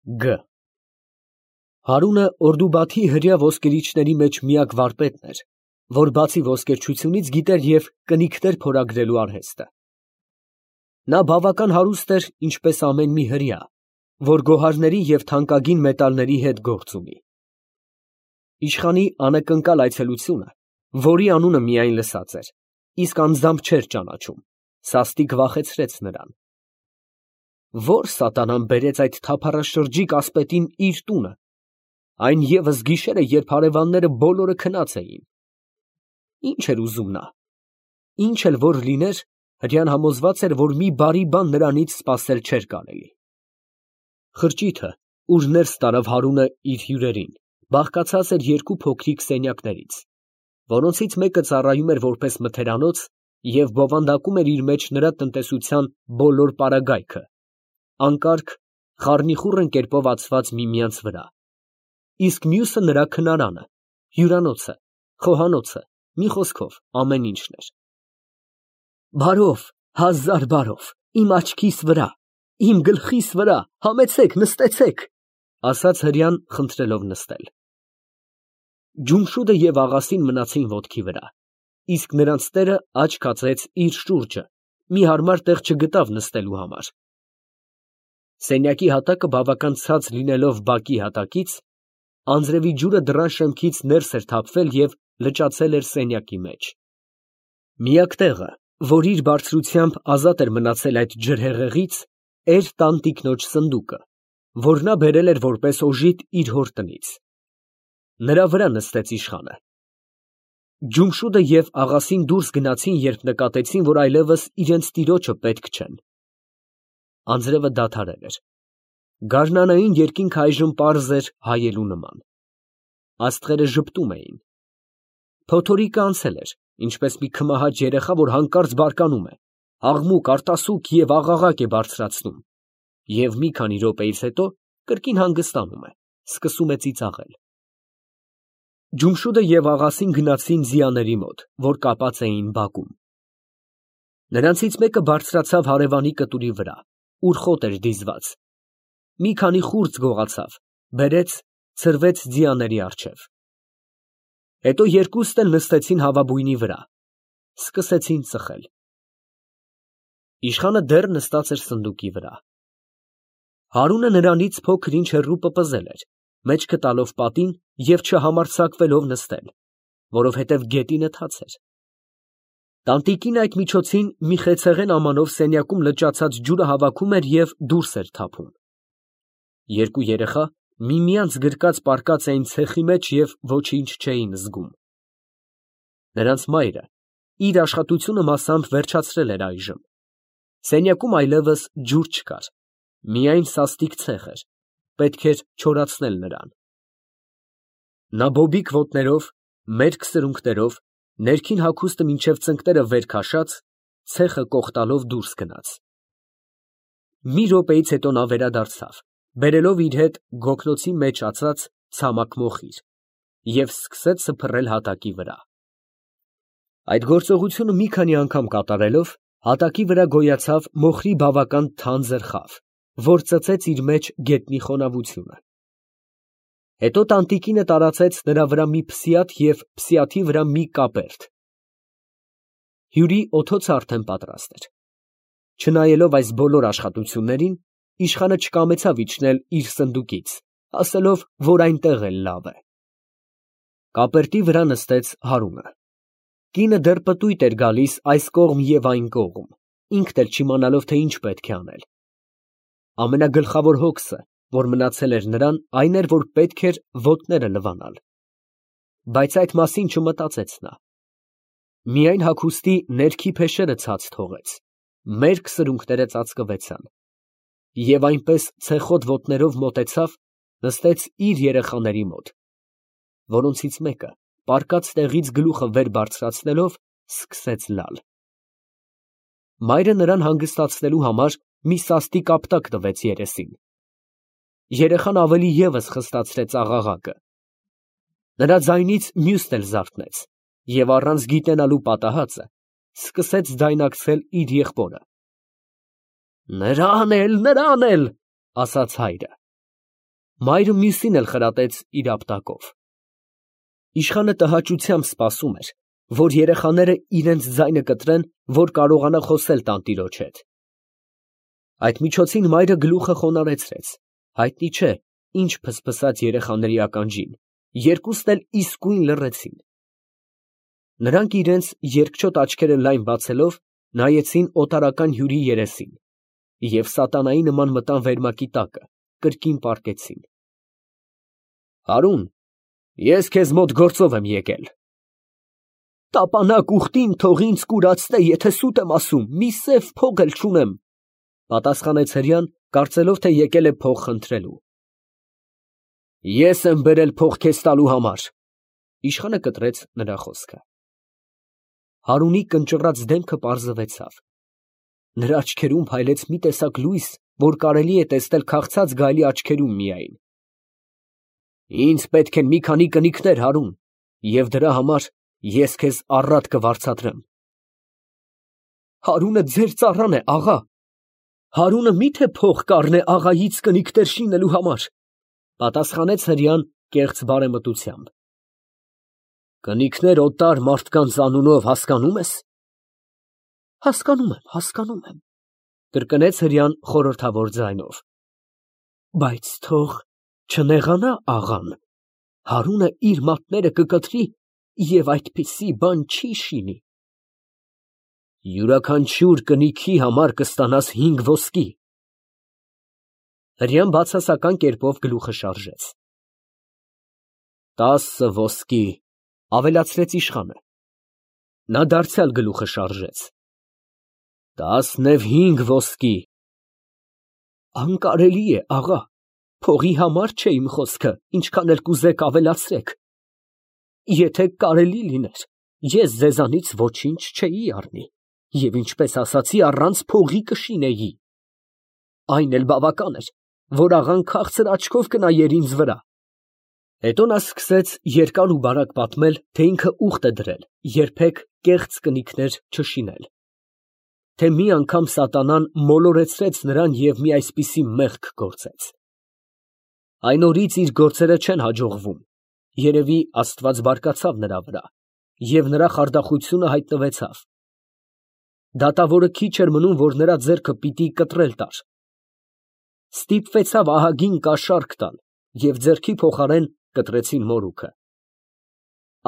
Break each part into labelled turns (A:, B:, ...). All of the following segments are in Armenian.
A: Գ. Հարունը Օրդուբաթի հրեա ոսկերիչների մեջ միակ վարպետն էր, որ բացի ոսկերչությունից գիտեր և կնիկներ փորագրելու արհեստը. նա բավական հարուստ էր, ինչպես ամեն մի հրեա, որ գոհարների և թանկագին մետալների հետ գործ ունի։ Իշխանի անակնկալ այցելությունը, որի անունը միայն լսած էր, իսկ անձամբ չէր ճանաչում, սաստիկ վախեցրեց նրան։ Ո՞ր սատանան բերեց այդ թափառաշրջիկ ասպետին իր տունը, այն ևս գիշերը, երբ հարևանները բոլորը քնած էին։ Ի՞նչ էր ուզում նա։ Ինչ էլ որ լիներ, հրեան համոզված էր, որ մի բարի բան նրանից սպասել չէր կարելի։ Խրճիթը, ուր ներս տարավ Հարունը իր հյուրերին, բաղկացած էր երկու փոքրիկ սենյակներից, որոնցից մեկը ծառայում էր որպես մթերանոց և բովանդակում էր իր մեջ նրա տնտեսության բոլոր պարագայքը, անկարգ, խառնիխուռն կերպով ածված միմյանց վրա, իսկ մյուսը նրա քնարանը, հյուրանոցը, խոհանոցը, մի խոսքով ամեն ինչն էր։ Բարով, հազար բարով, իմ աչքիս վրա, իմ գլխիս վրա, համեցեք, նստեցեք, ասաց հրեան խնդրելով նստել։ Ջումշուդը և աղասին մնացին ոտքի վրա, իսկ նրանց տերը աչք կացեց իր շուրջը, մի հարմար տեղ չգտավ նստելու համար։ Սենյակի հատակը բավական ցած լինելով բակի հատակից, անձրևի ջուրը դռան շեմքից ներս էր թափվել և լճացել էր սենյակի մեջ։ Միակ տեղը, որ իր բարձրությամբ ազատ էր մնացել այդ ջրհեղեղից, էր տանտիկնոջ սնդուկը, որ նա բերել էր որպես օժիտ իր հոր տնից։ Նրա վրա նստեց իշխանը։ Ջումշուդը և աղասին դուրս գնացին, երբ նկատեցին, որ այլևս իրենց տիրոջը պետք չեն։ Անձրևը դադարել էր։ Գարնանային երկինքը այժմ պարզ էր հայելու նման։ Աստղերը ժպտում էին։ Փոթորիկը անցել էր, ինչպես մի քմահաճ երեխա, որ հանկարծ բարկանում է, աղմուկ, արտասուք և աղաղակ է բարձրացնում, և մի քանի րոպեից հետո կրկին հանգստանում է, սկսում է ծիծաղել։ Ջումշուդը և աղասին գնացին ձիաների մոտ, որ կապած էին բակում։ Նրանցից մեկը բարձրացավ հարևանի կտուրի վրա, ուր խոտ էր դիզված, մի քանի խուրձ գողացավ, բերեց, ցրվեց ձիաների առջև։ Հետո երկուստ էլ նստեցին հավաբույնի վրա, սկսեցին ծխել։ Իշխանը դեռ նստած էր սնդուկի վրա։ Հարունը նրանից փոքր ինչ հեռու պպզել էր, մեջքը տալով պատին և չհամարձակվելով նստել, որովհետև գետինը թաց էր։ Տանտիկին այդ միջոցին մի խեցեղեն ամանով սենյակում լճացած ջուրը հավաքում էր և դուրս էր թափում։ Երկու երեխա միմյանց գրկած պառկած էին ցեխի մեջ և ոչինչ չէին զգում։ Նրանց մայրը իր աշխատությունը մասամբ վերջացրել էր այժմ։ Սենյակում այլևս ջուր չկար, միայն սաստիկ ցեխ էր, պետք էր չորացնել նրան։ Նա բոբիկ ոտներով, մերկ սրունքներով, ներքին հագուստը մինչև ծնկները վեր քաշած, ցեխը կոխտալով դուրս գնաց։ Մի րոպեից հետո նա վերադարձավ, բերելով իր հետ գոգնոցի մեջ ածած ցամաք մոխիր և սկսեց սփռել հատակի վրա։ Այդ գործողությունը մի քանի անգամ կատարելով, հատակի վրա գոյացավ մոխրի բավական թանձր խավ, որ ծծեց իր մեջ գետնի խոնավությունը։ Հետո տանտիկինը տարածեց նրա վրա մի փսիաթ և փսիաթի վրա մի կապերտ։ Հյուրի օդոցը արդեն պատրաստ էր։ Չնայելով այս բոլոր աշխատություններին, իշխանը չկամեցավ իջնել իր սնդուկից, ասելով, որ այնտեղ էլ լավ է։ Կապերտի վրա նստեց Հարունը։ Կինը դեռ պտույտ էր գալիս այս կողմ և այն կողմ, ինքն էլ չիմանալով, թե ինչ պետք է անել։ Ամենագլխավոր հոգսը, որ մնացել էր նրան, այն էր, որ պետք էր ոտները լվանալ։ Բայց այդ մասին չմտածեց նա։ Միայն հագուստի ներքի փեշերը ցած թողեց, մերկ սրունքները ծածկվեցան, և այնպես ցեխոտ ոտներով մոտեցավ, նստեց իր երեխաների մոտ, որոնցից մեկը, պառկած տեղից գլուխը վեր բարձրացնելով, սկսեց լալ։ Մայրը նրան հանգստացնելու համար մի սաստիկ ապտակ տվեց երեսին։ Երեխան ավելի ևս խստացրեց աղաղակը։ Նրա ձայնից մյուսն էլ զարթնեց և առանց գիտենալու պատահածը սկսեց ձայնակցել իր եղբորը։ «Նրան էլ, ասաց հայրը։ Մայրը մյուսին էլ խրատեց իր ապտակով։ Իշխանը տհաճությամբ սպասում էր, որ երեխաները իրենց ձայնը կտրեն, որ կարողանա խոսել տանտիրոջ հետ։ Այդ միջոցին մայրը գլուխը խոնարհեցրեց, հայտնի չէ, ինչ փսփսաց երեխաների ականջին, երկուսն էլ իսկույն լռեցին։ Նրանք իրենց երկչոտ աչքերը լայն բացելով նայեցին օտարական հյուրի երեսին և սատանայի նման մտան վերմակի տակը, կրկին պառկեցին։ Հարուն, ես քեզ մոտ գործով եմ եկել։ Տապանակ ուխտին թող ինձ կուրացնե, եթե սուտ եմ ասում, մի սև փող էլ չունեմ, պատասխանեց հրեան, կարծելով, թե եկել է փող խնդրելու։ Ես եմ բերել փող քեզ տալու համար, իշխանը կտրեց նրա խոսքը։ Հարունի կնճռած դեմքը պարզվեցավ։ Նրա աչքերում փայլեց մի տեսակ լույս, որ կարելի է տեսնել քաղցած գայլի աչքերում միայն։ Ինձ պետք են մի քանի կնիկներ, Հարուն, և դրա համար ես քեզ առատ կվարձատրեմ։ Հարունը ձեր ծառան է, աղա։ Հարունը միթե փող կառնե աղայից կնիկներ շինելու համար, պատասխանեց հրեան կեղծ բարեմտությամբ։ Կնիկներ օտար մարդկանց անունով հասկանում ես։ Հասկանում եմ, կրկնեց հրեան խորհրդավոր ձայնով։ Բայց թող չնեղանա աղան, Հարունը իր մատները կկտրի և այդպիսի բան չի շինի։ Յուրաքանչյուր կնիքի համար կստանաս 5 ոսկի։ Հրեան բացասական կերպով գլուխը շարժեց։ 10 ոսկի, ավելացրեց իշխանը։ Նա դարձյալ գլուխը շարժեց։ 15 ոսկի։ Անկարելի է, աղա, փողի համար չէ իմ խոսքը, ինչքան էլ կուզեք ավելացրեք։ Եթե կարելի լիներ, ես ձեզանից ոչինչ չէի առնի, և ինչպես ասացի, առանց փողի կշինեի։ Այն էլ բավական էր, որ աղան քաղցր աչքով կնայեր ինձ վրա։ Հետո նա սկսեց երկար ու բարակ պատմել, թե ինքը ուխտ է դրել, երբեք կեղծ կնիկներ չշինել, թե մի անգամ սատանան մոլորեցրեց նրան և մի այսպիսի մեղք գործեց։ Այն օրից իր գործերը չեն հաջողվում, երևի Աստված բարկացավ նրա վրա, և նրա խարդախությունը հայտնվեցավ։ Դատավորը քիչ էր մնում, որ նրա ձեռքը պիտի կտրել տար։ Ստիպվեցավ ահագին կաշառք տալ, և ձեռքի փոխարեն կտրեցին մորուքը։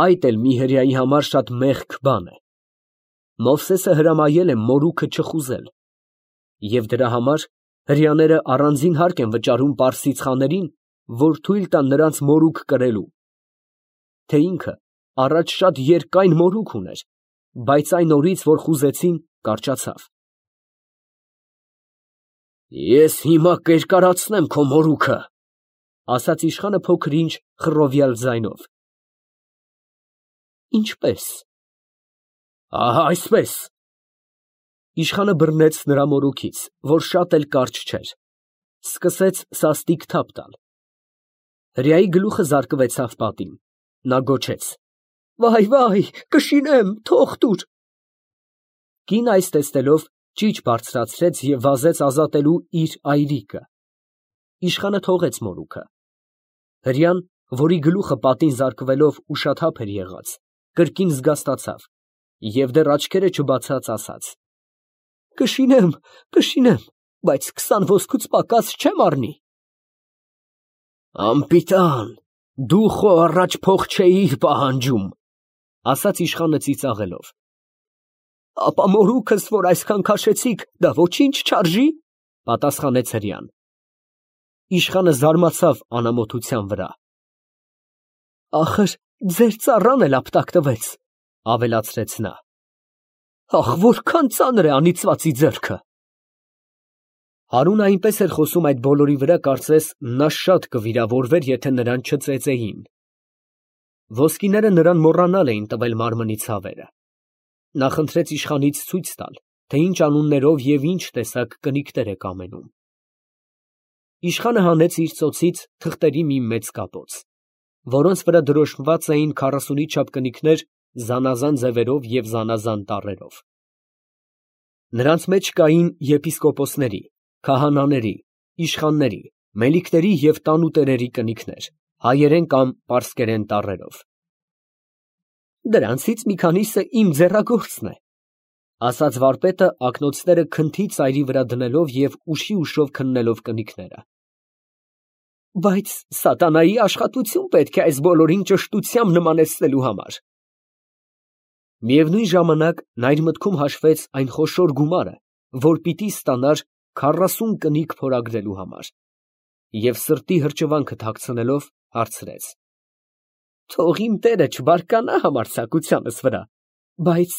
A: Այդ էլ մի հրեայի համար շատ մեղք բան է։ Մովսեսը հրամայել է մորուքը չխուզել, և դրա համար հրեաները առանձին հարկ են վճարում պարսից խաներին, որ թույլ տան նրանց մորուք կրելու, թե ինքը առաջ շատ երկայն մորուք ուներ, բայց այն օրից, որ խուզեցին, կարճացավ։ Ես հիմա կերկարացնեմ քո մորուքը, ասաց իշխանը փոքր-ինչ խռովյալ ձայնով։ Ինչպես։ Ահա այսպես։ Իշխանը բռնեց նրա մորուքից, որ շատ էլ կարճ չէր, սկսեց սաստիկ թափ տալ։ Հրեայի գլուխը զարկվեցավ պատին, նա գոչեց. Վայ, կշինեմ, թող տուր։ Կինը այս տեսնելով ճիչ բարձրացրեց և վազեց ազատելու իր այրիկը։ Իշխանը թողեց մորուքը։ Հրեան, որի գլուխը պատին զարկվելով ուշաթափ էր եղած, կրկին զգաստացավ և դեռ աչքերը չբացած ասաց. Կշինեմ, բայց 20 ոսկուց պակաս չեմ առնի։ Անպիտան, դու խո առաջ փող չէիր պահանջում, ասաց իշխանը ծիծաղելով։ Ապա մորուքս, որ այսքան քաշեցիք, դա ոչինչ չարժի, պատասխանեց հրեան։ Իշխանը զարմացավ անամոթության վրա։ Ախր ձեր ծառան էլ ապտակ տվեց, ավելացրեց նա։ Ախ, որքան ծանր է անիծվածի ձեռքը։ Հարունը այնպես էր խոսում այդ բոլորի վրա, կարծես նա շատ կվիրավորվեր, եթե նրան չծեծեին։ Ոսկիները նրան մոռանալ էին տվել մարմնի ցավերը։ Նա խնդրեց իշխանից ցույց տալ, թե ինչ անուններով և ինչ տեսակ կնիկներ է կամենում։ Իշխանը հանեց իր ծոցից թղթերի մի մեծ կապոց, որոնց վրա դրոշմված էին 40-ի չափ կնիկներ զանազան ձևերով և զանազան տառերով։ Նրանց մեջ կային եպիսկոպոսների, քահանաների, իշխանների, Մելիքների և տանուտերերի կնիքներ, հայերեն կամ պարսկերեն տառերով։ Դրանցից մի քանիսը իմ ձեռագործն է, ասաց վարպետը ակնոցները քնթի ծայրի վրա դնելով և ուշով քննելով կնիքները։ Բայց սատանայի աշխատություն պետք է այս բոլորին ճշտությամբ նմանեցնելու համար։ Միևնույն ժամանակ նա իր մտքում հաշվեց այն խոշոր գումարը, որ պիտի ստանար 40 կնիկ փորագրելու համար, և սրտի հրճվանքը թաքցնելով հարցրեց. Թող իմ տերը չբարկանա համարձակությանս վրա, բայց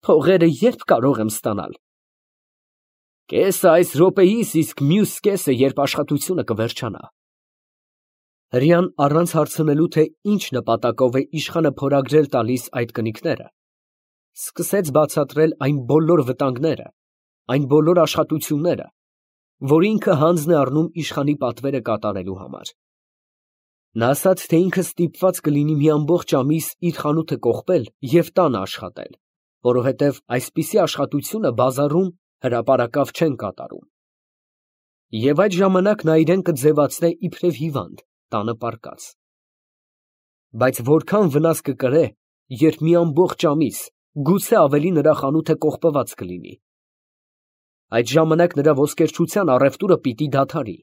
A: փողերը ե՞րբ կարող եմ ստանալ։ Կեսը այս րոպեիս, իսկ մյուս կեսը, երբ աշխատությունը կվերջանա։ Հրեան առանց հարցնելու, թե ինչ նպատակով է իշխանը փորագրել տալիս այդ կնիկները, սկսեց բացատրել այն բոլոր վտանգները, այն բոլոր աշխատությունները, որ ինքը հանձն է առնում իշխանի պատվերը կատարելու համար։ Նա ասաց, թե ինքը ստիպված կլինի մի ամբողջ ամիս իր խանութը կողպել և տանը աշխատել, որովհետև այսպիսի աշխատությունը բազարում հրապարակավ չեն կատարում։ Եվ այդ ժամանակ նա իրեն կձևացնե իբրև հիվանդ, տանը պառկած։ Բայց որքան վնաս կկրե, երբ մի ամբողջ ամիս, գուցե ավելի նրա խանութը կողպված կլինի։ Այդ ժամանակ նրա ոսկերչության առևտուրը պիտի դադարի։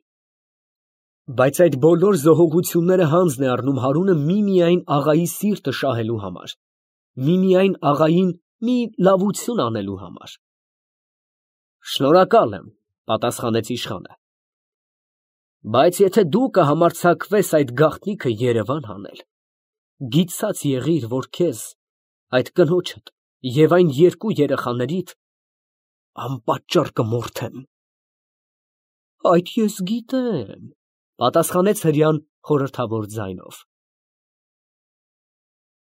A: Բայց այդ բոլոր զոհողությունները հանձն է առնում Հարունը միմիայն աղայի սիրտը շահելու համար, միմիայն աղային մի լավություն անելու համար։ Շնորհակալ եմ, պատասխանեց իշխանը, բայց եթե դու կհամարձակվես այդ գաղտնիքը երևան հանել, գիտած եղիր, որ քեզ, այդ կնոջդ և այն երկու երեխաներիդ անպատճառ կմորթեմ։ Այդ ես գիտեմ, պատասխանեց հրեան խորհրդավոր ձայնով։